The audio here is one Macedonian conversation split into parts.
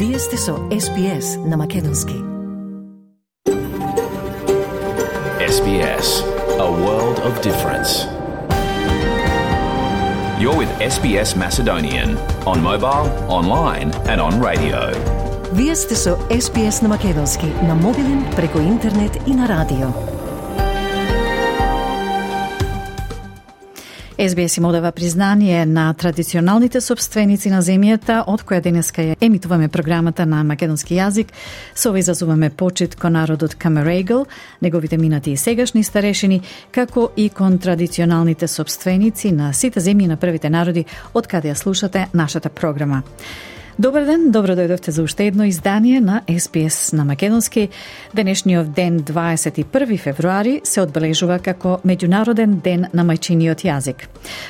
Вие сте со SBS на Македонски. SBS, a world of difference. You're with SBS Macedonian on mobile, online and on radio. Вие сте со SBS на Македонски на мобилен, преку интернет и на радио. SBS им одава признание на традиционалните собственици на земјата, од која денеска ја емитуваме програмата на македонски јазик. Со ова изазуваме почит кон народот Камерегл, неговите минати и сегашни старешини, како и кон традиционалните собственици на сите земји на првите народи, од каде ја слушате нашата програма. Добар ден, добро дојдовте за уште едно издание на SBS на Македонски. Денешниот ден, 21 февруари, се одбележува како Меѓународен ден на мајчиниот јазик.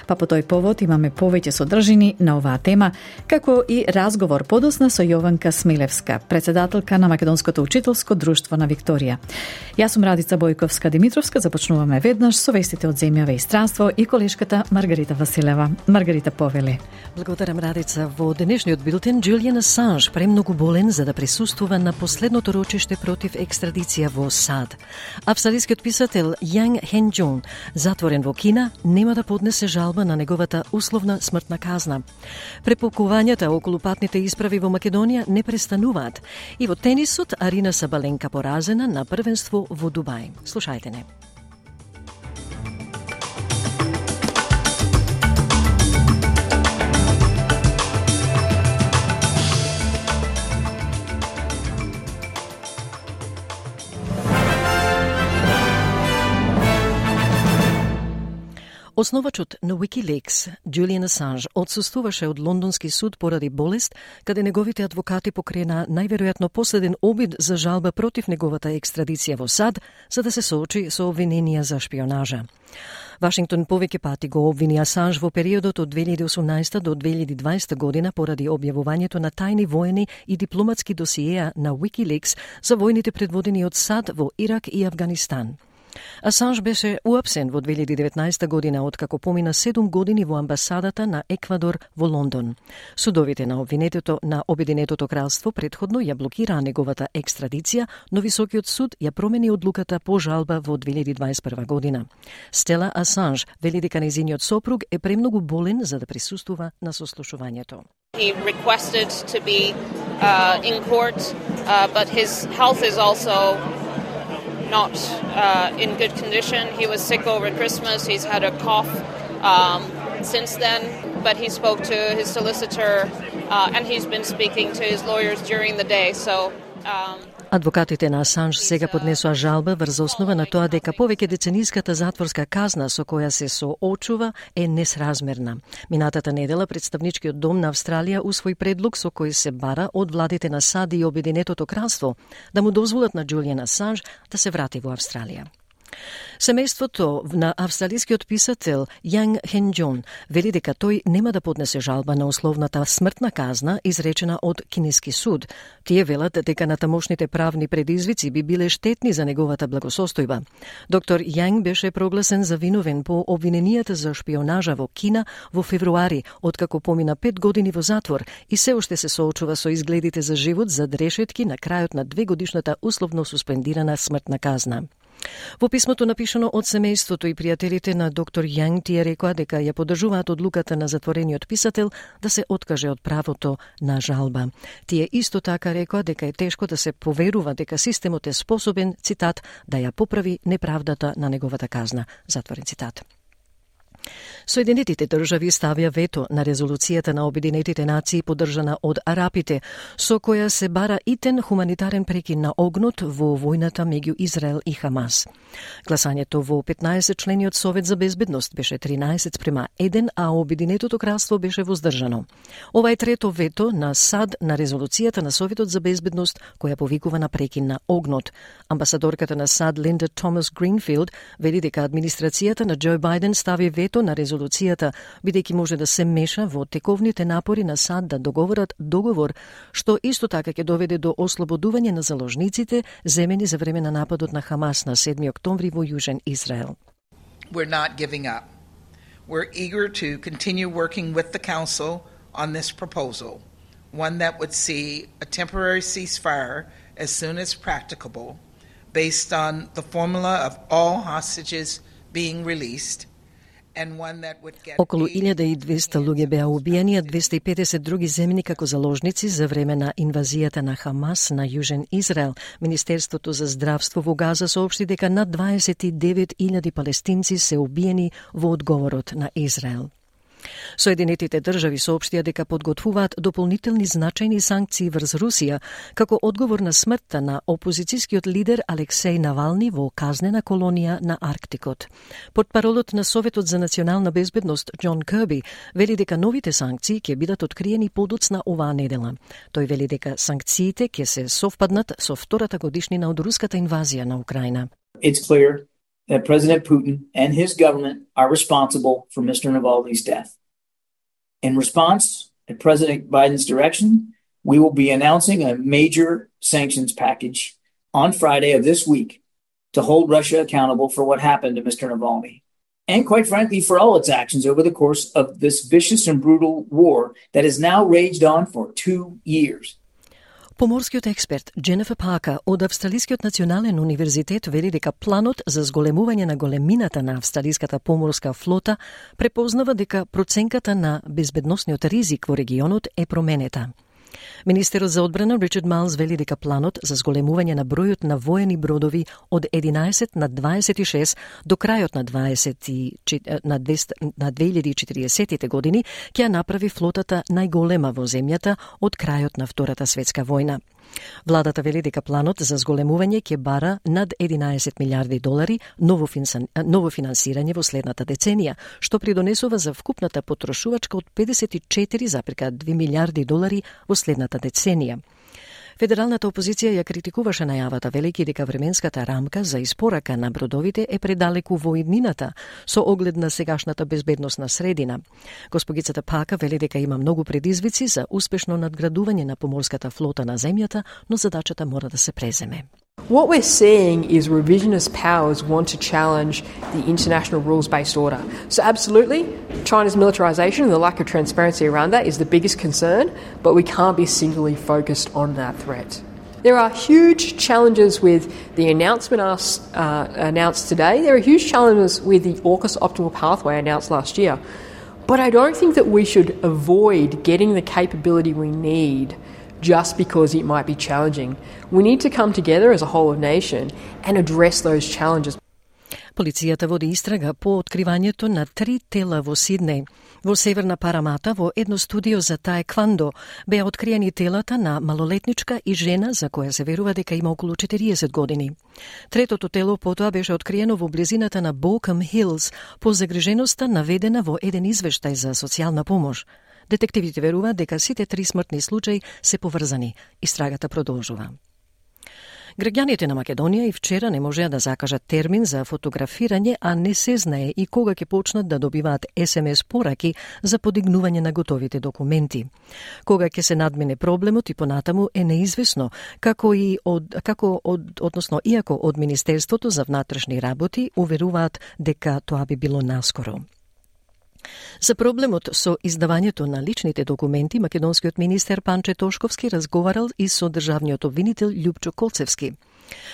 Па по тој повод имаме повеќе содржини на оваа тема, како и разговор подосна со Јованка Смилевска, председателка на Македонското учителско друштво на Викторија. Јас сум Радица Бојковска-Димитровска, започнуваме веднаш со вестите од земјава и странство и колешката Маргарита Василева. Маргарита, повели. Благодарам, Радица. Во денешниот билтен Джулиан Асанж премногу болен за да присуствува на последното рочиште против екстрадиција во САД. Австралискиот писател Јанг Хенџон, затворен во Кина, нема да поднесе жалба на неговата условна смртна казна. Препукувањата околу патните исправи во Македонија не престануваат. И во тенисот Арина Сабаленка поразена на првенство во Дубај. Слушајте не. Основачот на Wikileaks, Джулиан Асанж, отсуствуваше од лондонски суд поради болест, каде неговите адвокати покрена најверојатно последен обид за жалба против неговата екстрадиција во САД, за да се соочи со обвиненија за шпионажа. Вашингтон повеќе пати го обвини Асанж во периодот од 2018 до 2020 година поради објавувањето на тајни воени и дипломатски досиеа на Wikileaks за војните предводени од САД во Ирак и Авганистан. Асанж беше уапсен во 2019 година откако помина 7 години во амбасадата на Еквадор во Лондон. Судовите на обвинетото на Обединетото кралство претходно ја блокираа неговата екстрадиција, но Високиот суд ја промени одлуката по жалба во 2021 година. Стела Асанж вели дека нејзиниот сопруг е премногу болен за да присуствува на сослушувањето. He requested to be in court, but his health is also not in good condition. He was sick over Christmas. He's had a cough since then, but he spoke to his solicitor and he's been speaking to his lawyers during the day. So Адвокатите на Асанж сега поднесоа жалба врз основа на тоа дека повеќе децениската затворска казна со која се соочува е несразмерна. Минатата недела представничкиот дом на Австралија усвои предлог со кој се бара од владите на САД и Обединетото кралство да му дозволат на Джулиан Асанж да се врати во Австралија. Семејството на австралискиот писател Јанг Хенџон вели дека тој нема да поднесе жалба на условната смртна казна изречена од кинески суд. Тие велат дека натамошните правни предизвици би биле штетни за неговата благосостојба. Доктор Јанг беше прогласен за виновен по обвиненијата за шпионажа во Кина во февруари, откако помина 5 години во затвор и се уште се соочува со изгледите за живот зад решетки на крајот на 2-годишната условно суспендирана смртна казна. Во писмото напишано од семејството и пријателите на доктор Јанг, тие рекоа дека ја поддржуваат одлуката на затворениот писател да се откаже од правото на жалба. Тие исто така рекоа дека е тешко да се поверува дека системот е способен, цитат, да ја поправи неправдата на неговата казна, затворен цитат. Соединетите држави ставија вето на резолуцијата на Обединетите нации поддржана од арапите, со која се бара итен хуманитарен прекин на огнот во војната меѓу Израел и Хамас. Гласањето во 15-члениот Совет за безбедност беше 13:1, а Обединетото кралство беше воздржано. Ова е трето вето на САД на резолуцијата на Советот за безбедност која повикува на прекин на огнот. Амбасадорката на САД Линда Томас Гринфилд вели дека администрацијата на Џо Бајден стави вето на резолуцијата, бидејќи може да се меша во тековните напори на САД да договорат договор, што исто така ќе доведе до ослободување на заложниците земени за време на нападот на Хамас на 7 октомври во Јужен Израел. We're not giving up. We're eager to continue working with the Council on this proposal. one that would see a temporary ceasefire as soon as practicable, based on the formula of all hostages being released, and one that would get Околу 1200 луѓе беа убиени, а 250 други земени како заложници за време на инвазијата на Хамас на Јужен Израел. Министерството за здравство во Газа соопшти дека над 29.000 палестинци се убиени во одговорот на Израел. Соединетите држави соопштија дека подготвуваат дополнителни значајни санкции врз Русија како одговор на смртта на опозицијскиот лидер Алексеј Навални во казнена колонија на Арктикот. Портпаролот на Советот за национална безбедност Џон Кирби вели дека новите санкции ќе бидат откриени подоцна оваа недела. Тој вели дека санкциите ќе се совпаднат со втората годишнина од руската инвазија на Украина. It's clear that President Putin and his government are responsible for Mr. Navalny's death. In response, at President Biden's direction, we will be announcing a major sanctions package on Friday of this week to hold Russia accountable for what happened to Mr. Navalny, and quite frankly, for all its actions over the course of this vicious and brutal war that has now raged on for 2 years. Поморскиот експерт Дженефер Пака од Австралискиот национален универзитет вели дека планот за зголемување на големината на австралиската поморска флота препознава дека проценката на безбедносниот ризик во регионот е променета. Министерот за одбрана Ричард Майлс вели дека планот за зголемување на бројот на воени бродови од 11 на 26 до крајот на 2040 години ќе направи флотата најголема во земјата од крајот на Втората светска војна. Владата вели дека планот за зголемување ќе бара над 11 милиарди долари ново финансирање во следната деценија, што придонесува за вкупната потрошувачка од 54,2 милиарди долари во следната деценија. Федералната опозиција ја критикуваше најавата, велики дека временската рамка за испорака на бродовите е предалеку во иднината, со оглед на сегашната безбедносна средина. Госпогицата Пака вели дека има многу предизвици за успешно надградување на поморската флота на земјата, но задачата мора да се преземе. What we're seeing is revisionist powers want to challenge the international rules-based order. So absolutely, China's militarization and the lack of transparency around that is the biggest concern, but we can't be singly focused on that threat. There are huge challenges with the announcement announced today. There are huge challenges with the AUKUS optimal pathway announced last year. But I don't think that we should avoid getting the capability we need just because it might be challenging. We need to come together as a whole of nation and address those challenges. Полицијата води истрага по откривањето на 3 тела во Сиднеј. Во Северна Парамата, во едно студио за таеквондо, беа откриени телата на малолетничка и жена за која се верува дека има околу 40 години. Третото тело потоа беше откриено во близината на Бокъм Хилс по загриженоста наведена во еден извештај за социјална помош. Детективите веруваат дека сите 3 смртни случаи се поврзани. Истрагата продолжува. Граѓаните на Македонија и вчера не можеа да закажат термин за фотографирање, а не се знае и кога ќе почнат да добиваат SMS пораки за подигнување на готовите документи. Кога ќе се надмине проблемот и понатаму е неизвестно, иако од Министерството за внатрешни работи уверуваат дека тоа би било наскоро. За проблемот со издавањето на личните документи, македонскиот министер Панче Тошковски разговарал и со државниот обвинител Љупчо Коцевски.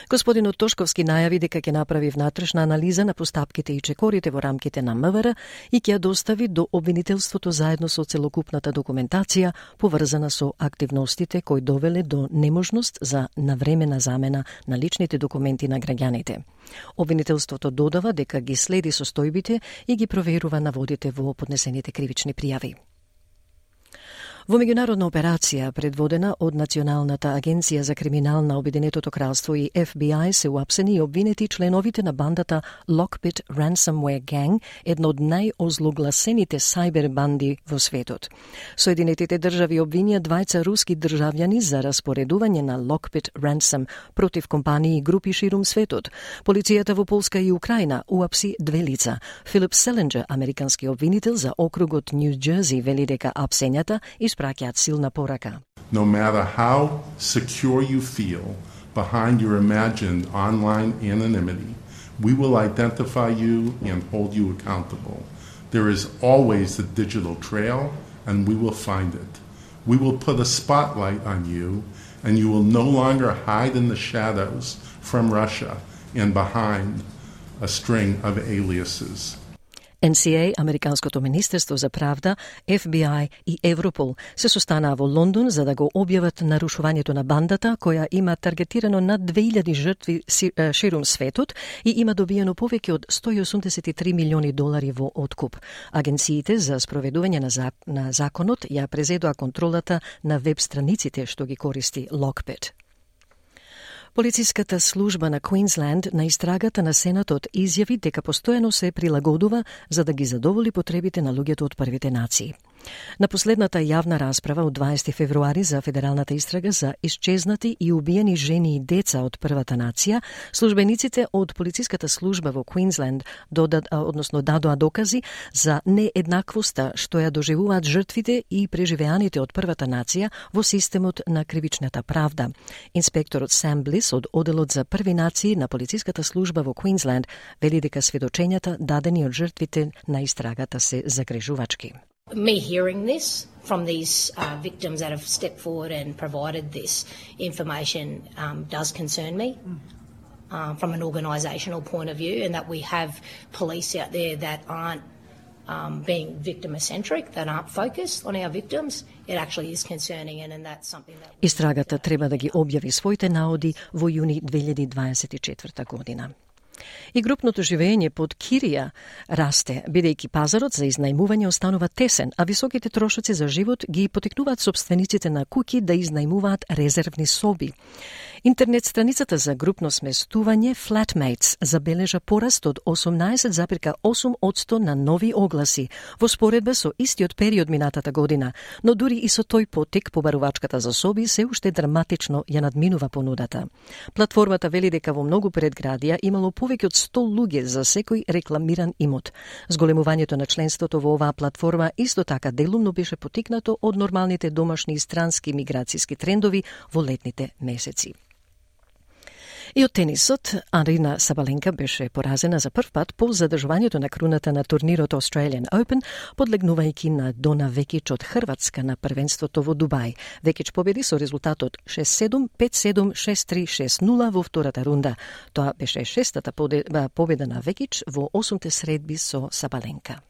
Господинот Тошковски најави дека ќе направи внатрешна анализа на постапките и чекорите во рамките на МВР и ќе ја достави до обвинителството заедно со целокупната документација поврзана со активностите кои довеле до неможност за навремена замена на личните документи на граѓаните. Обвинителството додава дека ги следи состојбите и ги проверува наводите во поднесените кривични пријави. Во меѓународна операција, предводена од Националната агенција за криминал на Обединетото кралство и FBI, се уапсени и обвинети членовите на бандата Lockbit Ransomware Gang, една од најозлогласените сајбер банди во светот. Соединетите држави обвинија 2 руски државјани за распоредување на Lockbit Ransom против компании и групи ширум светот. Полицијата во Полска и Украина уапси 2 лица. Филип Селенџер, американски обвинител за округот Нью Џерси, вели дека апсењата испраќаат силна порака. No matter how secure you feel behind your imagined online anonymity, we will identify you and hold you accountable. There is always a digital trail, and we will find it. we will put a spotlight on you, and you will no longer hide in the shadows from Russia and behind a string of aliases. NCA, Американското министерство за правда, FBI и Европол се состанаа во Лондон за да го објават нарушувањето на бандата, која има таргетирано над 2000 жртви ширум светот и има добиено повеќе од $183 милиони во откуп. Агенциите за спроведување на законот ја презедоа контролата на веб страниците што ги користи Lockbit. Полициската служба на Квинсленд на истрагата на Сенатот изјави дека постојано се прилагодува за да ги задоволи потребите на луѓето од првите нации. На последната јавна расправа од 20 февруари за федералната истрага за исчезнати и убиени жени и деца од првата нација, службениците од полициската служба во Квинсленд дадоа докази за нееднаквоста што ја доживуваат жртвите и преживеаните од првата нација во системот на кривичната правда. Инспекторот Сам Блис од оделот за први нации на полициската служба во Квинсленд вели дека сведочењата дадени од жртвите на истрагата се загрежувачки. Me hearing this from these victims that have stepped forward and provided this information does concern me from an organisational point of view, and that we have police out there that aren't being victim-centric, that aren't focused on our victims. It actually is concerning, and that's something that... Истрагата треба да ги објави своите наоди во јуни 2024 година. И групното живење под кирија расте, бидејќи пазарот за изнајмување останува тесен, а високите трошоци за живот ги потикнуваат собствениците на куќи да изнајмуваат резервни соби. Интернет страницата за групно сместување Flatmates забележа пораст од 18,8% на нови огласи во споредба со истиот период минатата година, но дури и со тој потик побарувачката за соби се уште драматично ја надминува понудата. Платформата вели дека во многу предградија имало повеќе од 100 луѓе за секој рекламиран имот. Зголемувањето на членството во оваа платформа исто така делумно беше потикнато од нормалните домашни и странски миграцијски трендови во летните месеци. И од тенисот, Арина Сабаленка беше поразена за прв пат по задржувањето на круната на турнирот Australian Open, подлегнувајќи на Дона Векич од Хрватска на првенството во Дубај. Векич победи со резултатот 6-7, 5-7, 6-3, 6-0 во втората рунда. Тоа беше шестата победа на Векич во 8 средби со Сабаленка.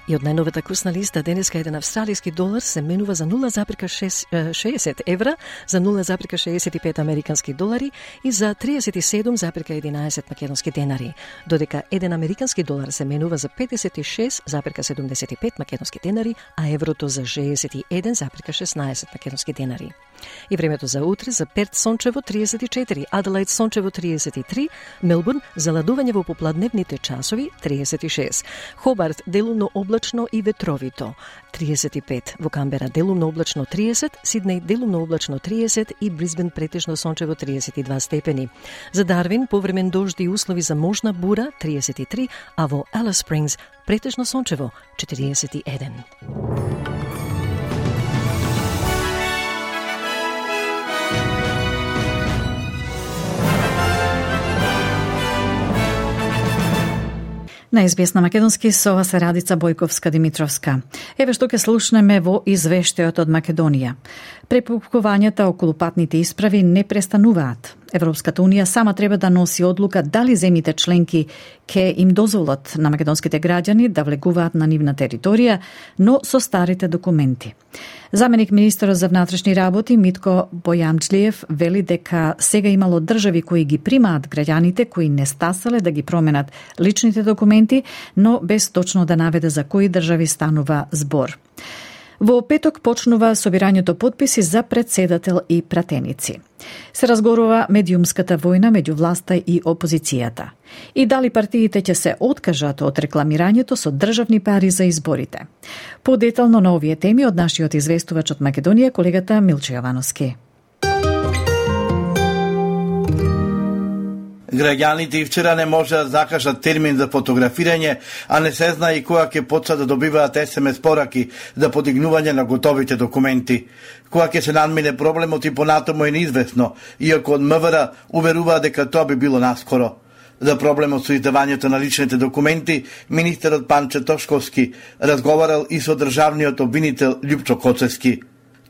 И од најновата курсна листа денеска еден австралиски долар се менува за 0,60 евра, за 0,65 американски долари и за 37,11 македонски денари, додека еден американски долар се менува за 56,75 македонски денари, а еврото за 61,16 македонски денари. И времето за утре за Перт сончево 34, Аделаид сончево 33, Мелбурн заладување во попладневните часови 36, Хобарт делумно облачно и ветровито 35, во Камбера делумно облачно 30, Сиднеј делумно облачно 30 и Брисбен претежно сончево 32 степени. За Дарвин повремен дожди и услови за можна бура 33, а во Алис Спрингс претежно сончево 41. На СБС на македонски со ова се Радица Бојковска-Димитровска. Еве што ќе слушнеме во извештајот од Македонија. Препукувањата околу патните исправи не престануваат. Европската Унија сама треба да носи одлука дали земјите членки ќе им дозволат на македонските граѓани да влегуваат на нивна територија, но со старите документи. Заменик министерот за внатрешни работи Митко Бојамџлиев вели дека сега имало држави кои ги примаат граѓаните кои не стасале да ги променат личните документи, но без точно да наведе за кои држави станува збор. Во петок почнува собирањето потписи за председател и пратеници. Се разгорува медиумската војна меѓу власта и опозицијата. И дали партиите ќе се откажат од рекламирањето со државни пари за изборите. Подетално на овие теми од нашиот известувач од Македонија, колегата Милчо Јовановски. Граѓаните и вчера не можеа да закажат термин за фотографирање, а не се знае и кога ќе почнат да добиваат SMS пораки за подигнување на готовите документи. Кога ќе се надмине проблемот и понатаму е неизвестно, иако од МВР уверуваат дека тоа би било наскоро. За проблемот со издавањето на личните документи, министерот Панче Тошковски разговарал и со државниот обвинител Љупчо Коцевски.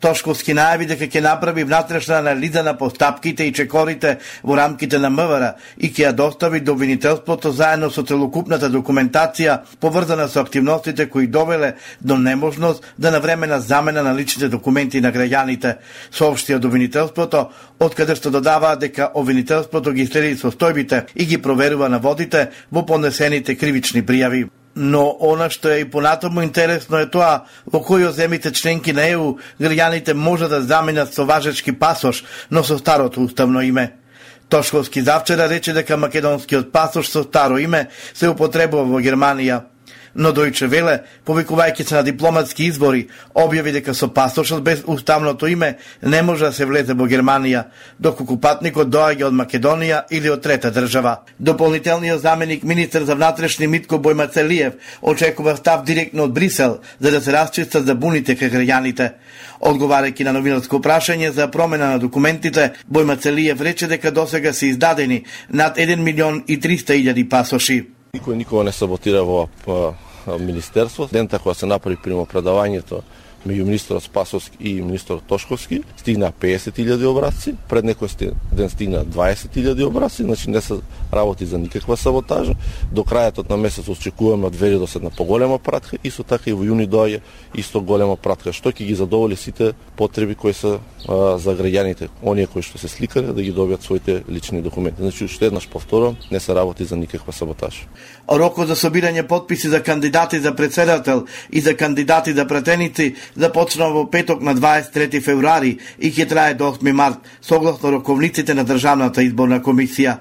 Тошковски најави дека ќе направи внатрешна анализа на постапките и чекорите во рамките на МВР и ќе ја достави до обвинителството заедно со целокупната документација поврзана со активностите кои довеле до неможност да навремена замена на личните документи на граѓаните, соопшти од обвинителството, од каде што додаваа дека обвинителството ги следи состојбите и ги проверува наводите во поднесените кривични пријави. Но она што е и понатаму интересно е тоа во кои од земјите членки на ЕУ граѓаните може да заменат со важечки пасош, но со старото уставно име. Тошковски завчера рече дека македонскиот пасош со старо име се употребува во Германија. Но Дојче Веле, повикувајќи се на дипломатски избори, објави дека со пасошот без уставното име не може да се влезе во Германија, доколку патникот доаѓа од Македонија или од трета држава. Дополнителниот заменик министер за внатрешни Митко Бојмацелиев очекува став директно од Брисел за да се расчистат забуните кај граѓаните. Одговарајќи на новинарско прашање за промена на документите, Бојмацелиев рече дека досега се издадени над 1.300.000 пасоши. Никој никога не саботира во министерство. Дента кога се направи примопредавањето меѓу министерот Спасовски и министерот Тошковски, стигна 50.000 образци, пред некој ден стигна 20.000 образци, значи не се работи за никаква саботажа. До крајот на месец очекуваме од Велидос една поголема пратка, исто така и во јуни доаѓа исто голема пратка, што ќе ги задоволи сите потреби кои се за граѓаните, оние кои што се сликале да ги добијат своите лични документи. Значи уште еднаш повторувам, не се работи за никаква саботажа. Рокот за собирање потписи за кандидати за председател и за кандидати за пратеници започнува во петок на 23 февруари и ќе трае до 8 март, согласно роковниците на Државната изборна комисија.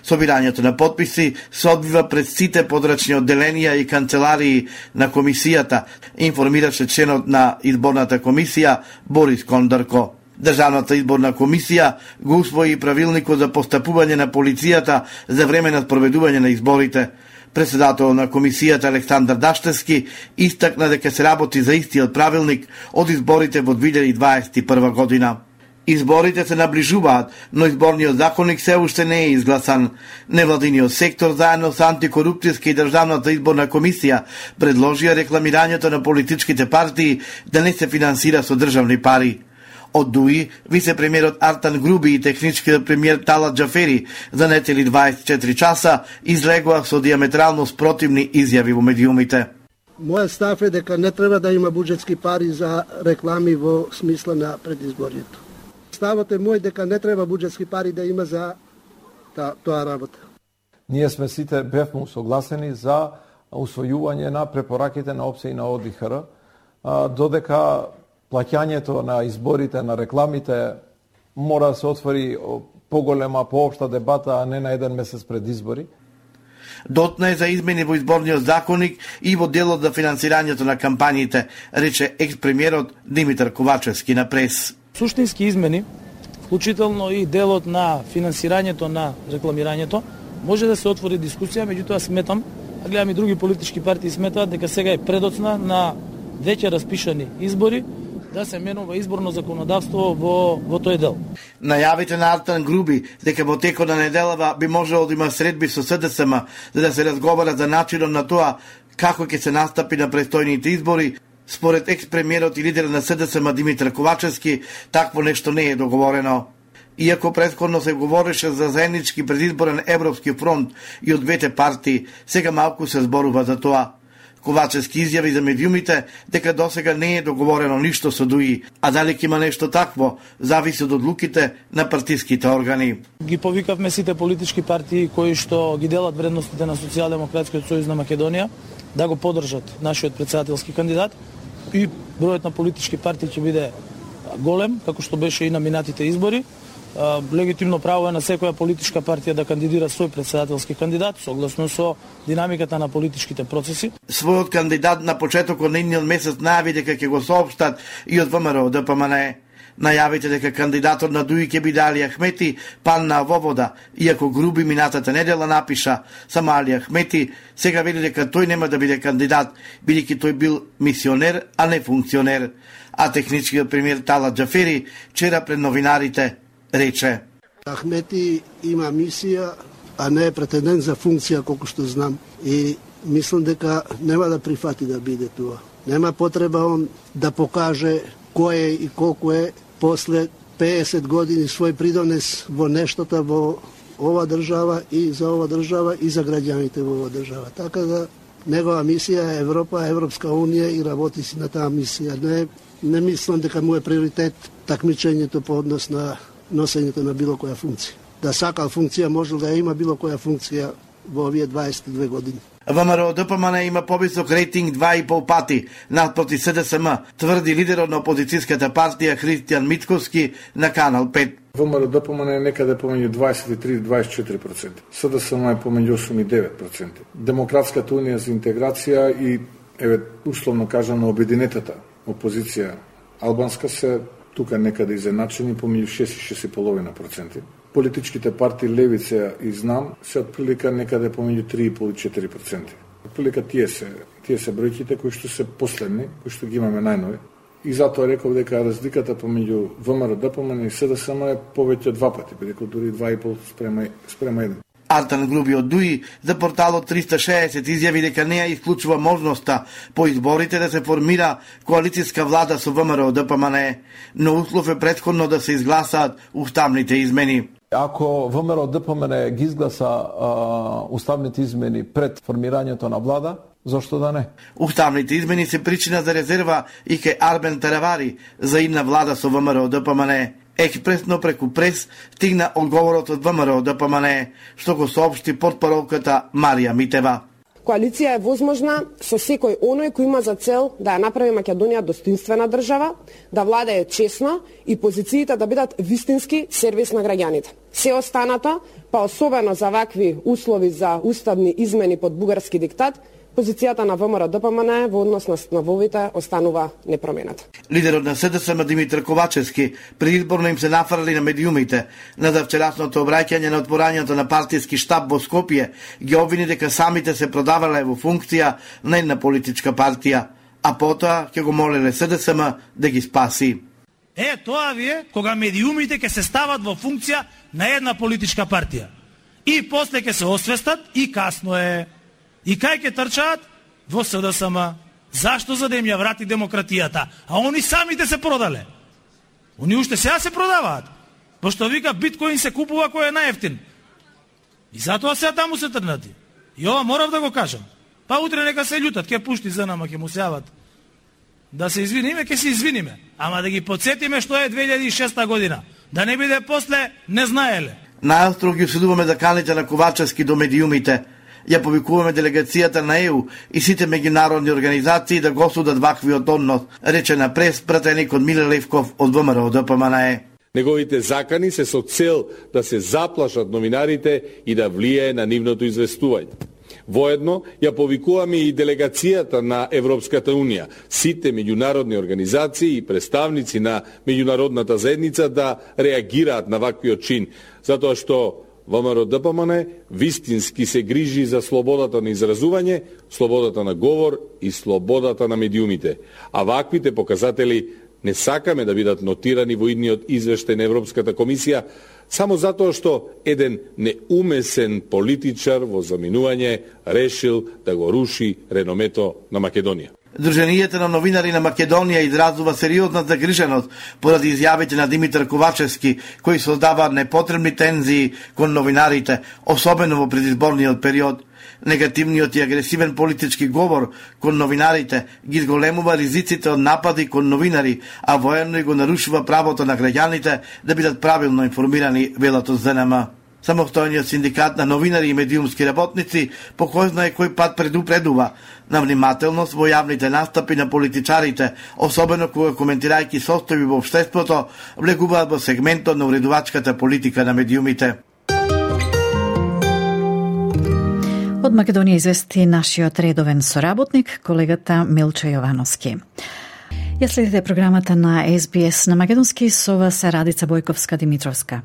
Собирањето на потписи се одвива пред сите подрачни одделенија и канцеларии на комисијата, информираше членот на изборната комисија Борис Кондарко. Државната изборна комисија го усвои правилникот за постапување на полицијата за време на спроведување на изборите. Председател на комисијата Александар Даштевски истакна дека се работи за истиот правилник од изборите во 2021 година. Изборите се наближуваат, но изборниот законник се уште не е изгласан. Невладиниот сектор заедно со антикорупцијска и Државната изборна комисија предложија рекламирањето на политичките партии да не се финансира со државни пари. Од ДУИ, вице-премиерот Артан Груби и техничкиот премиер Талат Џафери за нетели 24 часа излегоа со диаметрално спротивни изјави во медиумите. Мојот став е дека не треба да има буџетски пари за реклами во смисла на предизборието. Ставот е мој дека не треба буџетски пари да има за тоа работа. Ние сме сите бевме согласени за усвојување на препораките на ОПСЕ и на ОДИХР, додека плаќањето на изборите, на рекламите, мора да се отвори поголема, поопшта дебата, а не на еден месец пред избори. Дотна е за измени во изборниот законник и во делот за финансирањето на кампањите, рече екс-премиерот Димитар Ковачевски на прес. Суштински измени, вклучително и делот на финансирањето на рекламирањето, може да се отвори дискусија, меѓутоа сметам, а гледам и други политички партии сметаат дека сега е предоцна на веќе распишани избори да се менува изборно законодавство во тој дел. Најавите на Артан Груби дека во текот на неделава би можело да има средби со СДСМ за да се разговара за начинот на тоа како ќе се настапи на престојните избори, според екс-премиерот и лидер на СДСМ Димитар Ковачевски, такво нешто не е договорено. Иако претходно се говореше за заеднички предизборен Европски фронт и од двете партии, сега малку се зборува за тоа. Ковачевски изјави за медиумите дека досега не е договорено ништо со ДУИ, а дали ќе има нешто такво, зависи од одлуките на партиските органи. Ги повикавме сите политички партии кои што ги делат вредностите на Социјалдемократскиот сојуз на Македонија да го поддржат нашиот претседателски кандидат и бројот на политички партии ќе биде голем, како што беше и на минатите избори. Легитимно право е на секоја политичка партија да кандидира свој претседателски кандидат, согласно со динамиката на политичките процеси. Својот кандидат на почетокот на идниот месец најави дека ќе го соопштат и од ВМРО ДПМНЕ. Најавите дека кандидатот на ДУИ ќе биде Али Ахмети падна во вода, иако Груби минатата недела напиша само Али Ахмети, сега вели дека тој нема да биде кандидат, бидејќи тој бил мисионер, а не функционер. А техничкиот премиер Талат Џафери вчера пред новинарите рече: Ахмети има мисија а не претендент за функција, колку што знам. И мислам дека нема да прифати да биде тоа. Нема потреба он да покаже кој е и колку е после 50 години свој придонес во нештото во ова држава и за ова држава и за граѓаните во ова држава. Така да негова мисија е Европа, Европска унија и работи си на таа мисија. Не мислам дека му е приоритет такмичењето по однос на носењето на било која функција. Да сакал функција може да има било која функција во овие 22 години. ВМРО ДПМН има повисок рейтинг 2,5 пати надпроти СДСМ, тврди лидерот на опозицијската партија Христијан Митковски на Канал 5. ВМРО ДПМН е некаде помеѓу 23-24%. СДСМ е помеѓу 8 и 9%. Демократската унија за интеграција и условно кажано обединетата опозиција албанска се тука некаде изеначени помеѓу 6 и 6,5%. Политичките партии Левица и Знам се отприлика некаде помеѓу 3,5 и 4%. Отприлика тие се бројките кои што се последни, кои што ги имаме најнови. И затоа реков дека разликата помеѓу ВМРО ДПМН и СДСМ е повеќе од 2 пати, бидејќи дури 2,5 спрема 1. Артан Груби од ДУИ за порталот 360 изјави дека не ја исклучува можноста по изборите да се формира коалицијска влада со ВМРО ДПМН, но услов е претходно да се изгласаат уставните измени. Ако ВМРО ДПМН ги изгласа уставните измени пред формирањето на влада, зошто да не? Уставните измени се причина за резерва и ке Арбен Таравари за идна влада со ВМРО ДПМН. Експресно преку прес стигна одговорот од ВМРО ДПМН, што го соопшти портпаролката Марија Митева. Коалиција е возможна со секој оној кој има за цел да ја направи Македонија достоинствена држава, да влада е честно и позициите да бидат вистински сервис на граѓаните. Се останато, па особено за вакви услови за уставни измени под бугарски диктат, позицијата на ВМРО ДПМН во однос на становите останува непроменета. Лидерот на СДСМ Димитар Ковачевски предизборно им се нафрли на медиумите на вчерашното обраќање на отворањето на партиски штаб во Скопје, ги обвини дека самите се продавале во функција на една политичка партија, а потоа ќе го молеле СДСМ да ги спаси. Тоа ви е кога медиумите ќе се стават во функција на една политичка партија. И после ќе се освестат и касно е. И кај ќе трчаат? Во СДСМ. Зашто? За да им ја врати демократијата. А они самите се продале. Они уште сега се продаваат. Пошто вика биткоин се купува кој е најефтин. И затоа сега таму се трнати. И ова морав да го кажам. Па утре нека се љутат, ќе пушти за нама, ќе му се јават. Да се извиниме, ќе се извиниме. Ама да ги подсетиме што е 2006 година. Да не биде после не знаеле. Најостро ги осудуваме заканите на Ковачевски до медиумите. Ја повикуваме делегацијата на ЕУ и сите меѓународни организации да го судат ваквиот однос, рече на прес пратеникот Миле Левков од ВМРО ДПМН. Неговите закани се со цел да се заплашат новинарите и да влијае на нивното известување. Воедно ја повикуваме и делегацијата на Европската унија, сите меѓународни организации и представници на меѓународната заедница да реагираат на ваквиот чин, затоа што ВМРО ДПМН вистински се грижи за слободата на изразување, слободата на говор и слободата на медиумите. А ваквите показатели не сакаме да бидат нотирани во идниот извештај на Европската комисија, само затоа што еден неумесен политичар во заминување решил да го руши реномето на Македонија. Друженијата на новинари на Македонија изразува сериозна загриженост поради изјавите на Димитар Ковачевски, кои создаваат непотребни тензии кон новинарите, особено во предизборниот период. Негативниот и агресивен политички говор кон новинарите ги зголемува ризиците од напади кон новинари, а воедно и го нарушува правото на граѓаните да бидат правилно информирани, велат од ЗНМ. Самостојниот синдикат на новинари и медиумски работници по кој знае кој пат предупредува на внимателност во јавните настапи на политичарите, особено кога коментирајќи состојби во општеството, влегуваат во сегментот на уредувачката политика на медиумите. Од Македонија извести нашиот редовен соработник, колегата Милчо Јовановски. Ја следите програмата на SBS на македонски со вас Радица Бојковска-Димитровска.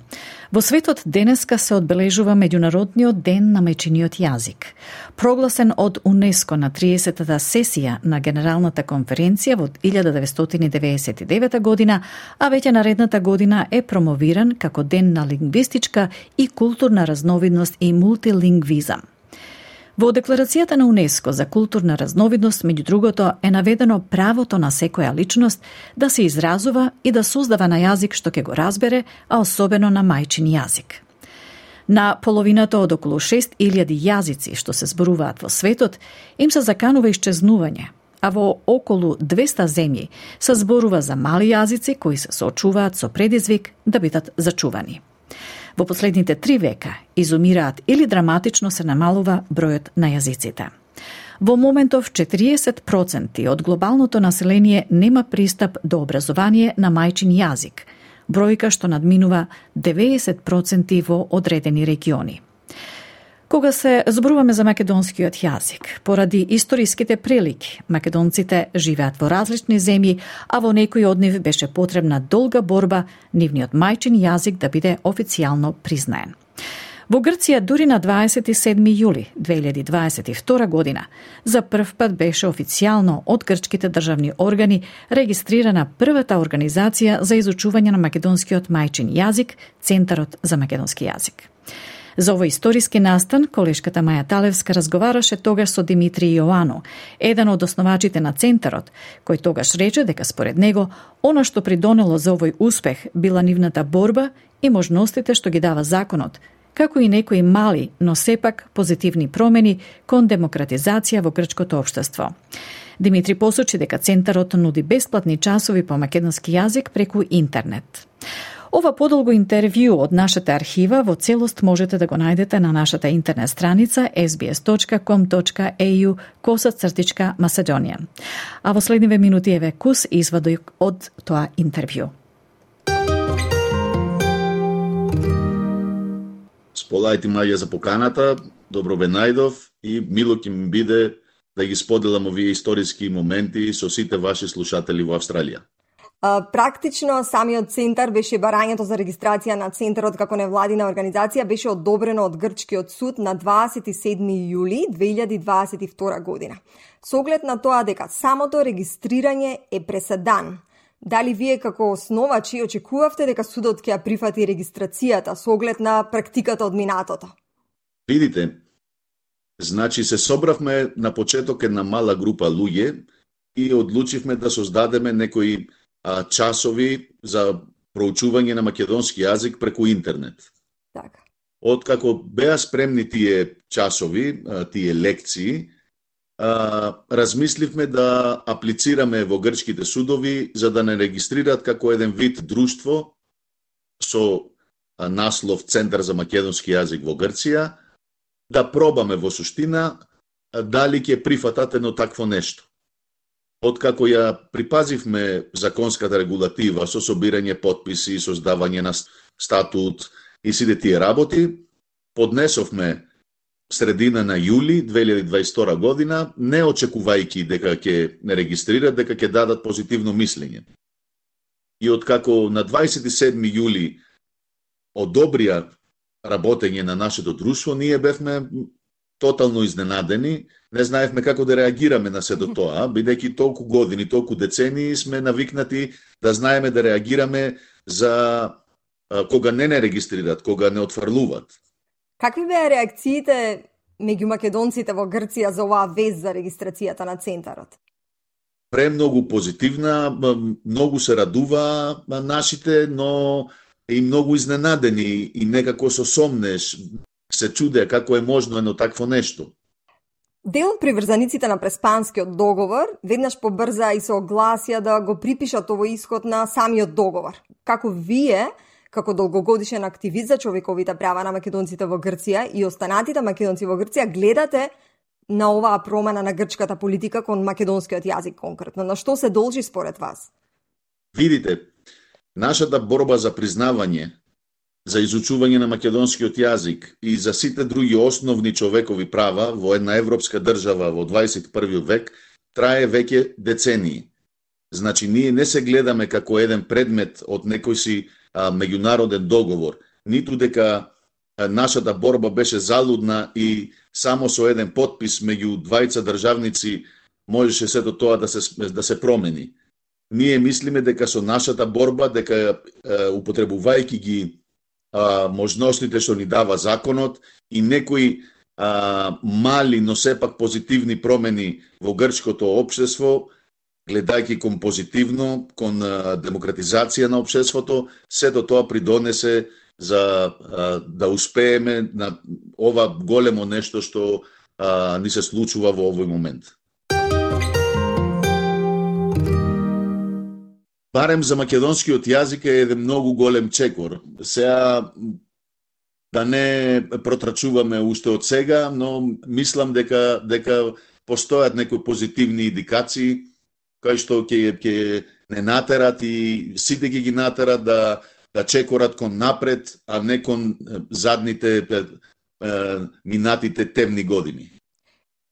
Во светот денеска се одбележува Меѓународниот ден на мајчиниот јазик. Прогласен од УНЕСКО на 30-та сесија на Генералната конференција во 1999 година, а веќе наредната година е промовиран како ден на лингвистичка и културна разновидност и мултилингвизам. Во Декларацијата на УНЕСКО за културна разновидност, меѓу другото, е наведено правото на секоја личност да се изразува и да создава на јазик што ќе го разбере, а особено на мајчин јазик. На половината од околу 6000 јазици што се зборуваат во светот, им се заканува исчезнување, а во околу 200 земји се зборува за мали јазици кои се соочуваат со предизвик да бидат зачувани. Во последните 3 века изумираат или драматично се намалува бројот на јазиците. Во моментов 40% од глобалното население нема пристап до образование на мајчин јазик, бројка што надминува 90% во одредени региони. Кога се зборуваме за македонскиот јазик, поради историските прилики, македонците живеат во различни земји, а во некои од нив беше потребна долга борба нивниот мајчин јазик да биде официјално признаен. Во Грција дури на 27. јули 2022 година за прв пат беше официјално од грчките државни органи регистрирана првата организација за изучување на македонскиот мајчин јазик, Центарот за македонски јазик. За овој историски настан, колешката Маја Талевска разговараше тогаш со Димитри Јоано, еден од основачите на Центарот, кој тогаш рече дека според него, она што придонело за овој успех била нивната борба и можностите што ги дава законот, како и некои мали, но сепак позитивни промени кон демократизација во грчкото општество. Димитри посочи дека Центарот нуди бесплатни часови по македонски јазик преку интернет. Ова подолго интервју од нашата архива во целост можете да го најдете на нашата интернет страница sbs.com.au/Macedonian. А во следниве минути еве кус извадок од тоа интервју. Сполајте маја за поканата, добро ве најдов и мило ќе ми биде да ги споделам овие историски моменти со сите ваши слушатели во Австралија. Практично, самиот центар беше барањето за регистрација на центарот како невладина организација беше одобрено од Грчкиот суд на 27. јули 2022 година. Со оглед на тоа дека самото регистрирање е преседан, дали вие како основачи очекувавте дека судот ќе ја прифати регистрацијата со оглед на практиката од минатото? Видите, значи се собравме на почеток една мала група луѓе и одлучивме да создадеме некои часови за проучување на македонски јазик преку интернет. Така. Откако беа спремни тие часови, тие лекции, размисливме да аплицираме во грчките судови за да не регистрираат како еден вид друштво со наслов Центар за македонски јазик во Грција, да пробаме во суштина дали ќе прифатат едно такво нешто. Откако ја припазивме законската регулатива со собирање потписи, создавање на статут и сите тие работи, поднесовме средина на јули 2022 година, не очекувајќи дека ќе не регистрират, дека ќе дадат позитивно мислење. И откако на 27. јули одобрија работење на нашето друштво, ние бевме тотално изненадени, не знаевме како да реагираме на сето тоа, бидејќи толку години, толку децении сме навикнати да знаеме да реагираме за кога не регистрират, кога не отфрлуваат. Какви беа реакциите меѓу македонците во Грција за оваа вест за регистрацијата на центарот? Премногу позитивна, многу се радува нашите, но и многу изненадени и некако со сомнеш се чудеа како е можно едно такво нешто. Дел од приврзаниците на Преспанскиот договор веднаш побрза и се огласија да го припишат овој исход на самиот договор. Како вие, како долгогодишен активист за човековите права на македонците во Грција и останатите македонци во Грција, гледате на оваа промена на грчката политика кон македонскиот јазик конкретно? На што се должи според вас? Видите, нашата борба за признавање, за изучување на македонскиот јазик и за сите други основни човекови права во една европска држава во 21. век трае веќе децении. Значи, ние не се гледаме како еден предмет од некој си меѓународен договор, ниту дека нашата борба беше залудна и само со еден потпис меѓу двајца државници можеше сето тоа да се промени. Ние мислиме дека со нашата борба, дека употребувајќи ги можностите што ни дава законот и некои мали, но сепак позитивни промени во грчкото општество, гледајќи кон позитивно, кон демократизација на општеството, сето тоа придонесе за да успееме на ова големо нешто што ни се случува во овој момент. Барем за македонскиот јазик е еден многу голем чекор. Сега да не протрачуваме уште од сега, но мислам дека постојат некои позитивни индикации кои што ќе не натерат и сите ги натерат да чекорат кон напред, а не кон задните минатите темни години.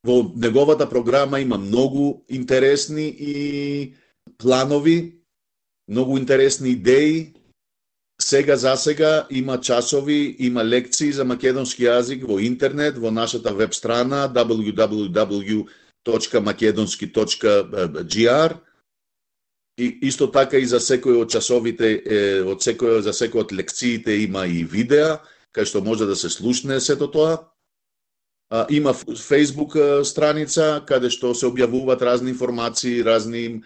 Во неговата програма има многу интересни и планови, многу интересни идеи. Сега за сега има часови, има лекции за македонски јазик во интернет, во нашата веб страна www.makedonski.gr. И исто така и за секој од часовите, за секој од лекциите има и видеа, кај што може да се слушне сето тоа. Има Facebook страница, каде што се објавуваат разни информации, разни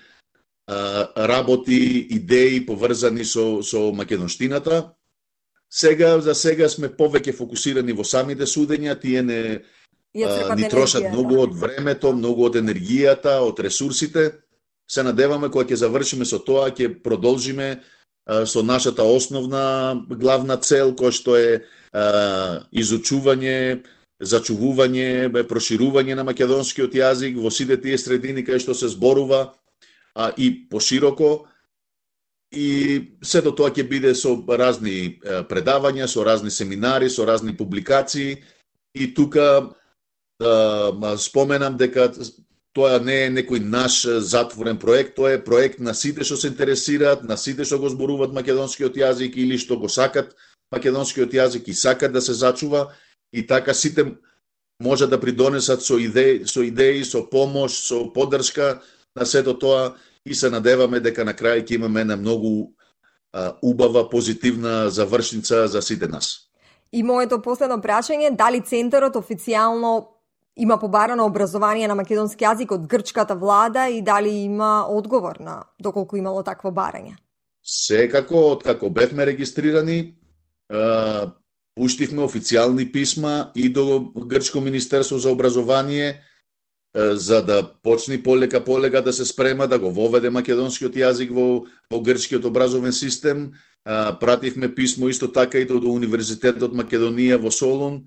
работи, идеи поврзани со македонштината. За сега сме повеќе фокусирани во самите судења, тие ни трошат многу од времето, многу од енергијата, од ресурсите. Се надеваме кога ќе завршиме со тоа, ќе продолжиме со нашата основна главна цел, која што е изучување, зачувување, проширување на македонскиот јазик во сите тие средини кај што се зборува и пошироко. И сето тоа ќе биде со разни предавања, со разни семинари, со разни публикации. И тука споменам дека тоа не е некој наш затворен проект, тоа е проект на сите што се интересираат, на сите што го зборуваат македонскиот јазик или што го сакат македонскиот јазик и сакат да се зачува, и така сите може да придонесат со идеи, со помош, со поддршка на сето тоа, и се надеваме дека на крај ќе имаме една многу убава, позитивна завршница за сите нас. И моето последно прашање, дали центарот официјално има побарано образование на македонски јазик од грчката влада и дали има одговор на доколку имало такво барање? Секако, откако бевме регистрирани, пуштивме официјални писма и до Грчко министерство за образование, за да почне полека да се спрема да го воведе македонскиот јазик во грчкиот образовен систем. Пративме писмо исто така и до Универзитетот Македонија во Солун,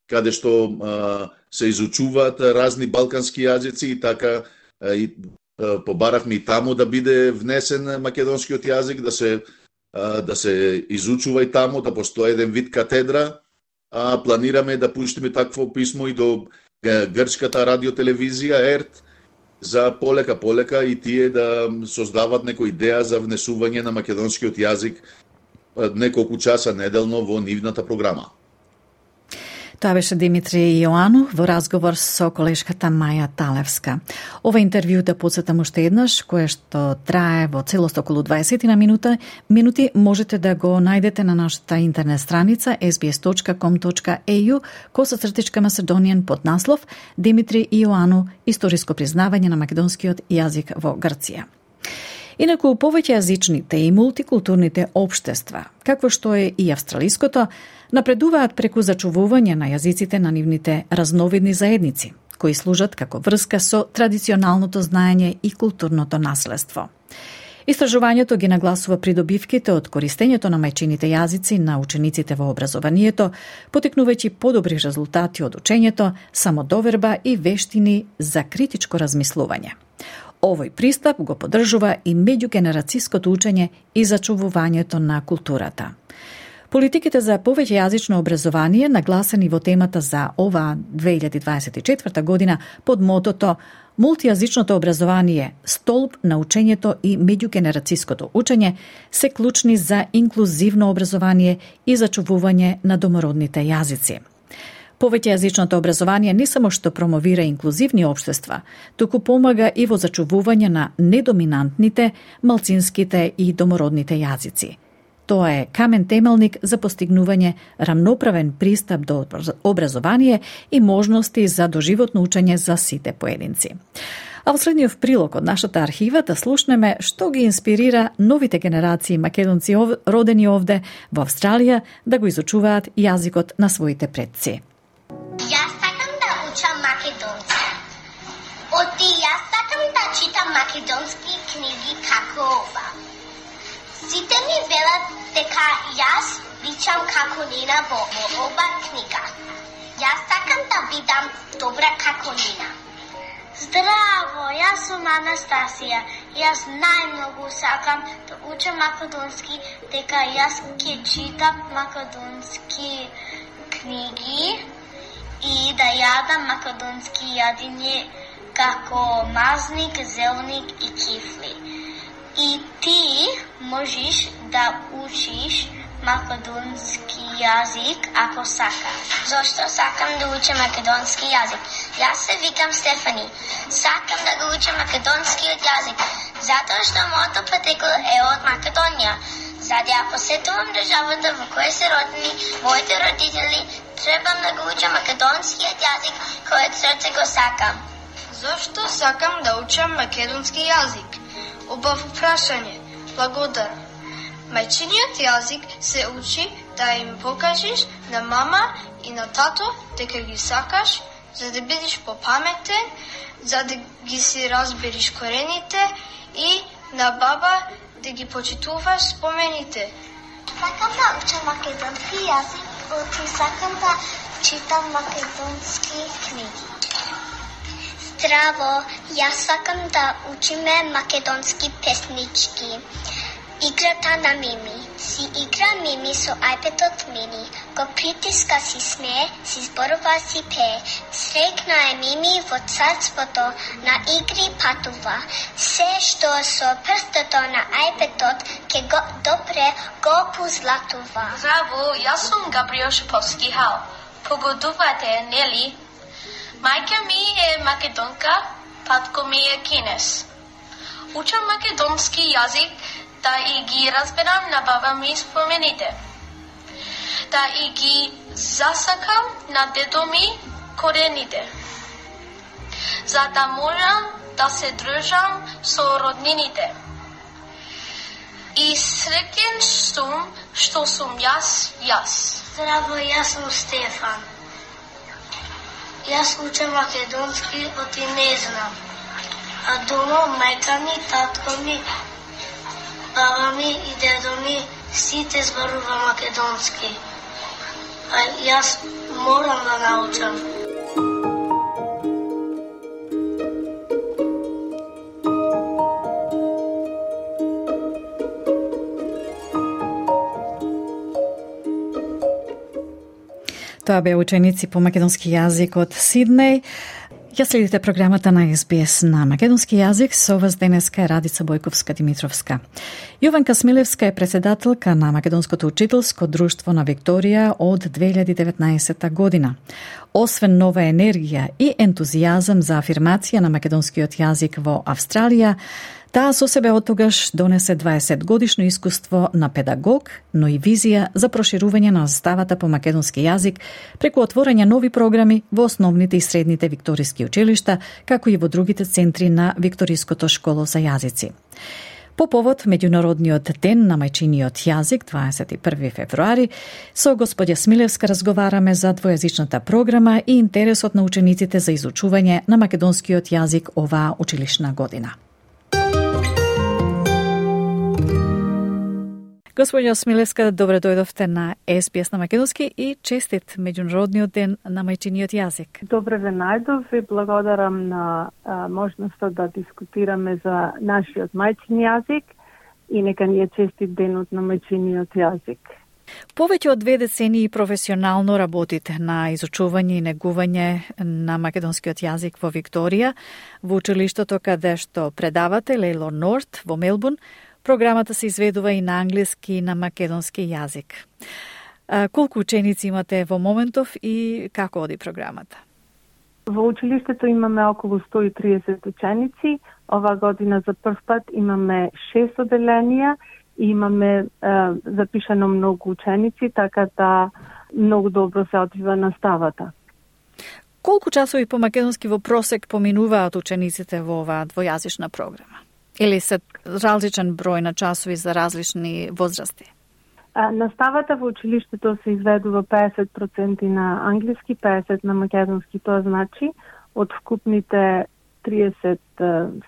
каде што се изучуваат разни балкански јазици, и така побарахме и таму да биде внесен македонскиот јазик, да се изучува и таму, да постои еден вид катедра. Планираме да пуштиме такво писмо и до грчката радиотелевизија ЕРТ, за полека и тие да создават некоја идеја за внесување на македонскиот јазик неколку часа неделно во нивната програма. Тоа беше Димитри Јоанов во разговор со колешката Маја Талевска. Ова интервју, да подсетам уште еднаш, кое што трае во целост околу 20 на минути, можете да го најдете на нашата интернет страница sbs.com.au/Macedonian под наслов Димитри Јоанов, историско признавање на македонскиот јазик во Грција. Инаку, повеќејазичните и мултикултурните општества, какво што е и австралиското, напредуваат преку зачувување на јазиците на нивните разновидни заедници, кои служат како врска со традиционалното знаење и културното наследство. Истражувањето ги нагласува придобивките од користењето на мајчините јазици на учениците во образованието, потекнувајќи подобри резултати од учењето, самодоверба и вештини за критичко размислување. Овој пристап го поддржува и меѓугенерацијското учење и зачувувањето на културата. Политиките за повеќе јазично образование нагласени во темата за ова 2024 година под мотото Мултијазичното образование, столб на учењето и меѓугенерацијското учење се клучни за инклузивно образование и зачувување на домородните јазици. Повеќејазичното образование не само што промовира инклузивни општества, туку помага и во зачувување на недоминантните, малцинските и домородните јазици. Тоа е камен темелник за постигнување рамноправен пристап до образование и можности за доживотно учење за сите поединци. А во средниот прилог од нашата архива да слушнеме што ги инспирира новите генерации македонци родени овде во Австралија да го изучуваат јазикот на своите предци. Јас сакам да учам македонски. Јас сакам да читам македонски книги како ова. Сите ми велат дека јас личам како Нина во ова книга. Јас сакам да бидам добра како Нина. Здраво, јас сум Анастасија. Јас најмногу сакам да учам македонски, дека јас ќе читам македонски книги и да јадам македонски јадење како мазник, зелник и кифли. И ти можеш да учиш македонски јазик ако сакаш. Зошто сакам да учам македонски јазик? Јас се викам Стефани. Сакам да го учам македонскиот јазик, затоа што моето потекло е од Македонија. За да ја посетувам државата во која се родени моите родители, требам да го учам македонскиот јазик кој од срце го сакам. Зошто сакам да учам македонски јазик? Убав прашање. Благодарам. Мајчиниот јазик се учи да им покажеш на мама и на тато дека ги сакаш, за да бидеш попаметен, за да ги си разбериш корените и на баба да ги почитуваш спомените. Сакам да учам македонски јазик, и сакам да читам македонски книги. Здраво, јас сакам да учиме македонски песнички. Играта на Мими. Си игра Мими со iPad-от Мини. Го притиска си смее, си зборува си пее. Срекна е Мими во царството, на игри патува. Се што со прстото на iPad-от ке го допре го позлатува. Здраво, јас сум Габриел Шиповски Хал. Погодувате, нели? Мајка ми е македонка, татко ми е кинес. Учам македонски јазик да и ги разберам на баба ми спомените. Да и ги засакам на дедо ми корените. За да можам да се дружам со роднините. И среќен сум што сум јас. Здраво, јас сум Стефан. Јас учам македонски, оти не знам. А дома мајка ми, татко ми, баба ми и дедо ми сите зборува македонски. А јас морам да научам. Тоа беа ученици по македонски јазик од Сиднеј. Ја следите програмата на SBS на македонски јазик. Со вас денеска е Радица Бојковска-Димитровска. Јованка Смилевска е председателка на Македонското учителско друштво на Викторија од 2019 година. Освен нова енергија и ентузијазам за афирмација на македонскиот јазик во Австралија, таа со себе оттогаш донесе 20 годишно искуство на педагог, но и визија за проширување на наставата по македонски јазик преку отворање нови програми во основните и средните викториски училишта, како и во другите центри на Викториското школо за јазици. По повод Меѓународниот ден на мајчиниот јазик, 21 февруари, со господја Смилевска разговараме за двојазичната програма и интересот на учениците за изучување на македонскиот јазик оваа училишна година. Господја Смилевска, добре дојдовте на SBS на македонски и честит Меѓународниот ден на мајчиниот јазик. Добре ве најдов и благодарам на можноста да дискутираме за нашиот мајчин јазик и нека ни е честит денот на мајчиниот јазик. Повеќе од 2 децении професионално работите на изучување и негување на македонскиот јазик во Викторија, во училиштето каде што предавате Лейлор Норт во Мелбурн. Програмата се изведува и на англиски и на македонски јазик. Колку ученици имате во моментов и како оди програмата? Во училиштето имаме околу 130 ученици. Ова година за прв пат имаме 6 оделенија и имаме запишано многу ученици, така да многу добро се одвива наставата. Колку часови по македонски во просек поминуваат учениците во оваа двојазична програма? Или се различен број на часови за различни возрасти? Наставата во училиштето се изведува 50% на англиски, 50% на македонски. Тоа значи од вкупните 30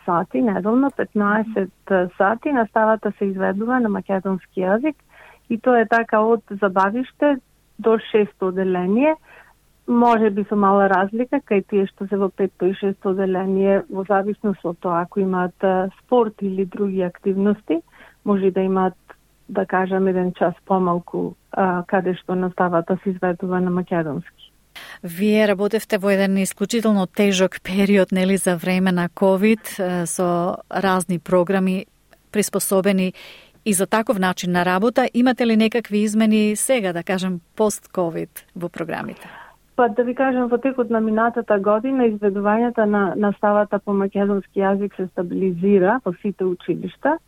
сати неделно, 15 сати наставата се изведува на македонски јазик и тоа е така од забавиште до 6-то оделение. Може би со мала разлика кај тие што се во 5-то и 6-то оделение, во зависност од тоа ако имаат спорт или други активности, може да имаат, да кажам, 1 час помалку каде што наставата се изведува на македонски. Вие работевте во еден исклучително тежок период, нели, за време на COVID, со разни програми приспособени и за таков начин на работа. Имате ли некакви измени сега, да кажем, пост-COVID во програмите? Па да ви кажам, во текот на минатата година изведувањето на наставата по македонски јазик се стабилизира во сите училишта,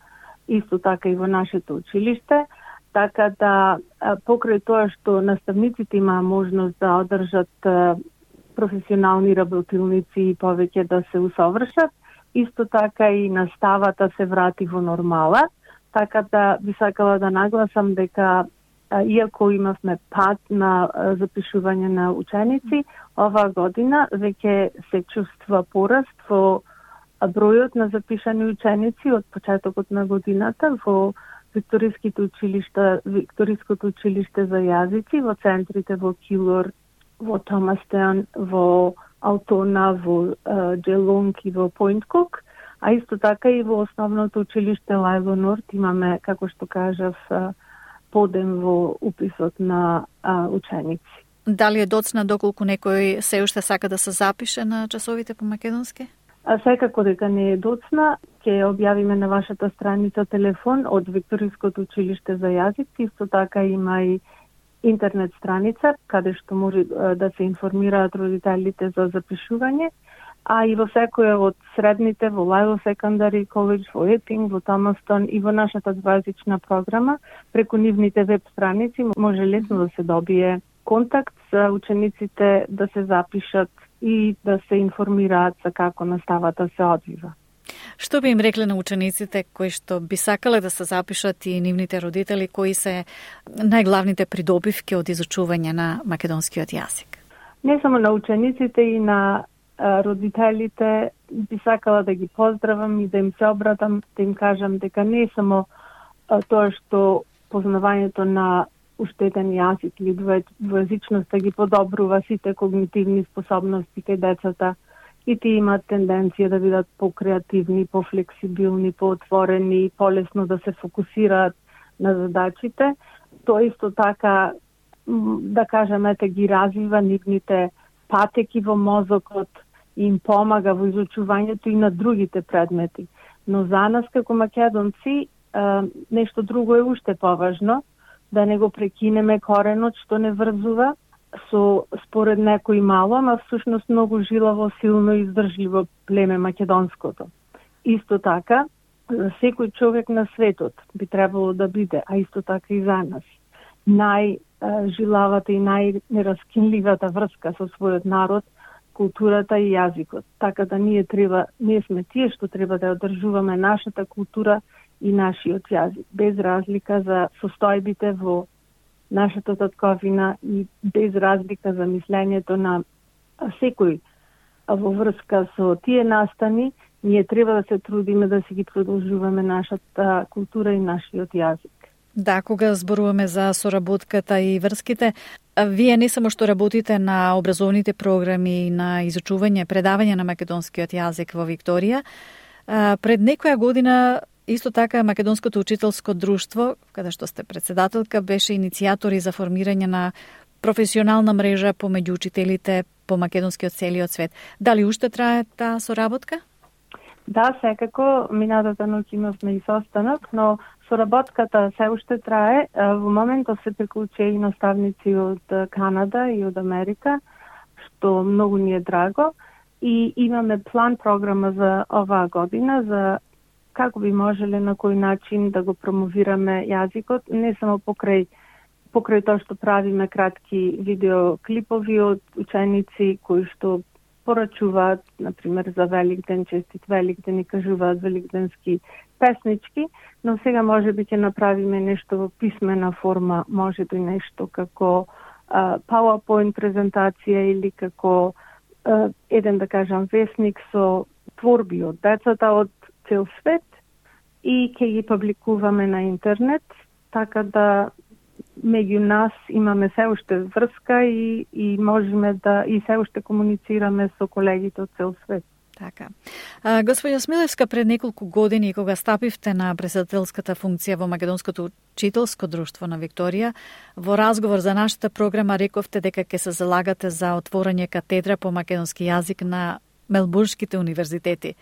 исто така и во нашето училиште, така да покрај тоа што наставниците имаа можност да одржат професионални работилници и повеќе да се усовршат, исто така и наставата се врати во нормала, така да би сакала да нагласам дека иако имавме пад на запишување на ученици, оваа година веќе се чувства пораст во бројот на запишани ученици од почетокот на годината во Викториското училиште за јазици, во центрите во Килор, во Томастаун, во Алтона, во Джелонг и во Пойнт Кук, а исто така и во основното училиште Лейлор Норт имаме, како што кажав, подем во уписот на ученици. Дали е доцна доколку некој се уште сака да се запише на часовите по македонски? Секако дека не е доцна, ќе објавиме на вашата страница телефон од Викториското училиште за јазици. Исто така има и интернет страница каде што може да се информираат родителите за запишување, а и во секоја од средните, во Лајло Секондари коледж, во Епинг, во Томастон и во нашата двојазична програма, преку нивните веб страници може лесно да се добие контакт за учениците да се запишат и да се информираат за како наставата се одвива. Што би им рекле на учениците кои што би сакале да се запишат и нивните родители, кои се најглавните придобивки од изучување на македонскиот јазик? Не само на учениците и на родителите би сакала да ги поздравам и да им се обратам, да им кажам дека не е само тоа што познавањето на уштетен јазик или двојазичноста ги подобрува сите когнитивни способности кај децата и тие имаат тенденција да бидат покреативни, пофлексибилни, поотворени, полесно да се фокусираат на задачите. Тоа исто така, да кажеме, ги развива нивните патеки во мозокот и им помага во изучувањето и на другите предмети. Но за нас како македонци нешто друго е уште поважно, да не го прекинеме коренот што не врзува со според некои мало, ама всушност многу жилаво, силно и издржливо племе македонското. Исто така, за секој човек на светот би требало да биде, а исто така и за нас, најжилавата и најнераскинливата врска со својот народ, културата и јазикот. Така да ние сме тие што треба да одржуваме нашата култура и нашиот јазик, без разлика за состојбите во нашата татковина и без разлика за мислењето на секој во врска со тие настани, ние треба да се трудиме да си ги продолжуваме нашата култура и нашиот јазик. Да, кога зборуваме за соработката и врските, вие не само што работите на образовните програми и на изучување, предавање на македонскиот јазик во Викторија, пред некоја година Исто така, Македонското учителско друштво, каде што сте председателка, беше иницијатори за формирање на професионална мрежа помеѓу учителите по македонскиот целиот свет. Дали уште трае таа соработка? Да, секако, минатата ноќ имавме и состанок, но соработката се уште трае. Во моментот се приклучи и наставници од Канада и од Америка, што многу ни е драго. И имаме план програма за оваа година, за како би можеле на кој начин да го промовираме јазикот, не само покрај тоа што правиме кратки видеоклипови од ученици кои што порачуваат, например, за Великден, честит Великден и кажуваат великденски песнички, но сега може би ќе направиме нешто во писмена форма, може би нешто како PowerPoint презентација или како еден, да кажам, весник со творби од децата од цел свет и ќе ги публикуваме на интернет, така да меѓу нас имаме се уште врска и можеме да и се уште комуницираме со колегите од цел свет. Така. Господја Смилевска, пред неколку години, кога стапивте на председателската функција во Македонското учителско друштво на Викторија, во разговор за нашата програма рековте дека ќе се залагате за отворање катедра по македонски јазик на Мелбурнските универзитети.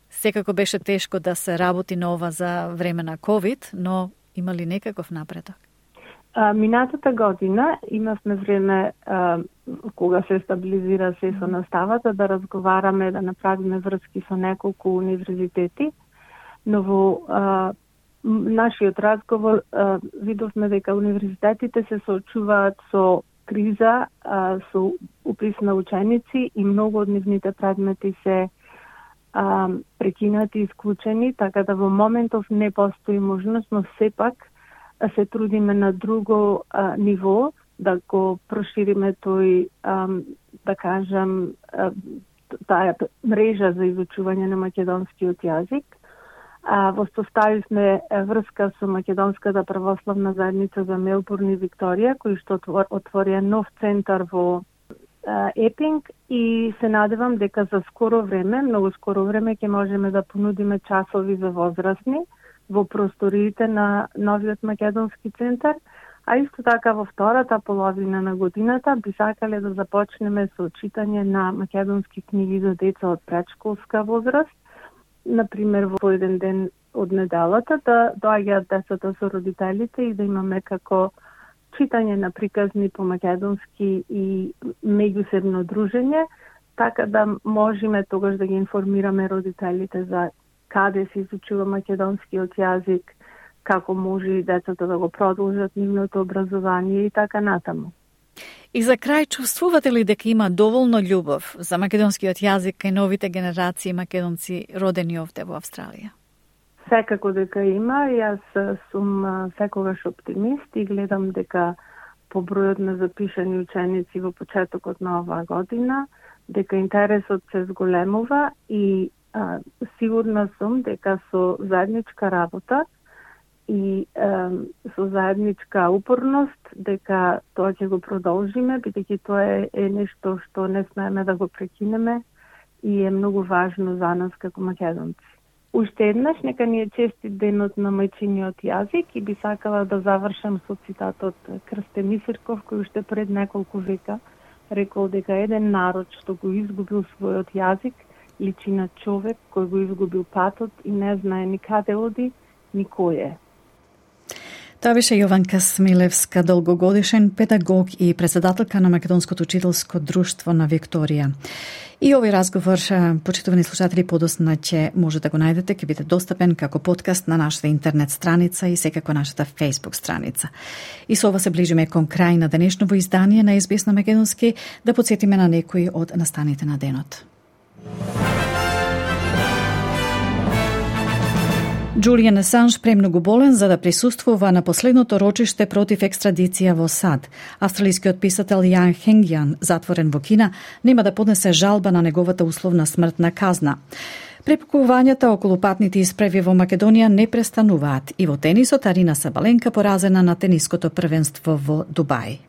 Секако беше тешко да се работи на ова за време на COVID, но има ли некаков напредок? Минатата година имавме време кога се стабилизира се со наставата да разговараме, да направиме врски со неколку универзитети, но во нашиот разговор видовме дека универзитетите се соочуваат со криза, со упис на ученици и многу од нивните предмети се прекинати и исклучени, така да во моментов не постои можност, но сепак се трудиме на друго ниво да го прошириме тој, да кажам, таа мрежа за изучување на македонскиот јазик. Воспоставивме врска со Македонската православна заедница за Мелбурн и Викторија, кој што отворија нов центар во Епинг и се надевам дека за скоро време, многу скоро време, ќе можеме да понудиме часови за возрастни во просториите на новиот македонски центар, а исто така во втората половина на годината би сакале да започнеме со читање на македонски книги за деца од предшколска возраст, например во еден ден од неделата да доаѓаат децата со родителите и да имаме како читање на приказни по македонски и меѓусебно дружење, така да можеме тогаш да ги информираме родителите за каде се изучува македонскиот јазик, како може и децата да го продолжат нивното образование и така натаму. И за крај, чувствувате ли дека има доволно љубов за македонскиот јазик кај новите генерации македонци родени овде во Австралија? Секако дека има, јас сум секогаш оптимист и гледам дека по бројот на запишани ученици во почетокот на оваа година, дека интересот се зголемува и сигурна сум дека со заедничка работа и со заедничка упорност дека тоа ќе го продолжиме, бидејќи тоа е нешто што не смееме да го прекинеме и е многу важно за нас како македонци. Уште еднаш, нека ни е честит денот на мајчиниот јазик и би сакала да завршам со цитатот Крстен Мисирков, кој уште пред неколку века рекол дека еден народ што го изгубил својот јазик личи на човек кој го изгубил патот и не знае ни каде оди, ни кој е. Тоа беше Јованка Смилевска, долгогодишен педагог и председателка на Македонското учителско друштво на Викторија. И овој разговор, почитувани слушатели, подоцна ќе може да го најдете, ќе биде достапен како подкаст на нашата интернет страница и секако нашата Facebook страница. И со ова се ближиме кон крај на денешново издание на SBS на македонски, да подсетиме на некои од настаните на денот. Джулијан Асанж премногу болен за да присуствува на последното рочиште против екстрадиција во САД. Австралискиот писател Јан Хенгјан, затворен во Кина, нема да поднесе жалба на неговата условна смртна казна. Препукувањата околу патните испреви во Македонија не престануваат и во тенисот Арина Сабаленка поразена на тениското првенство во Дубај.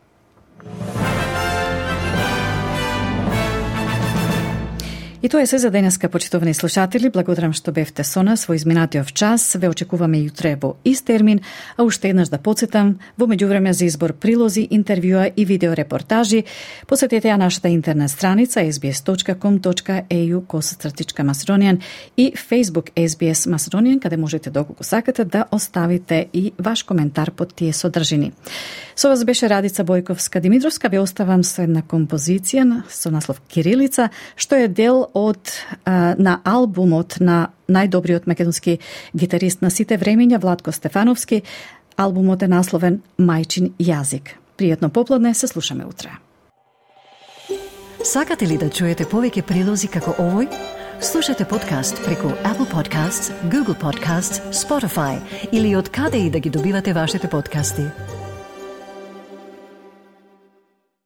И тоа е се за денеска, почитувани слушатели. Благодарам што бевте со нас во изминатиот час. Ве очекуваме јутре во ист термин, а уште еднаш да потсетам, во меѓувреме за избор прилози, интервјуа и видеорепортажи, посетете ја нашата интернет страница sbs.com.au/Macedonian и Facebook SBS Macedonian, каде можете доколку сакате да оставите и ваш коментар под тие содржини. Со вас беше Радица Бојковска-Димитровска. Ве оставам со една композиција со наслов Кирилица, што е дел на албумот на најдобриот македонски гитарист на сите времења Владко Стефановски. Албумот е насловен Мајчин јазик. Пријатно поплодне, се слушаме утре. Сакате ли да чуете повеќе прилози како овој? Слушате подкаст преку Apple Podcasts, Google Podcasts, Spotify или од каде и да ги добивате вашите подкасти.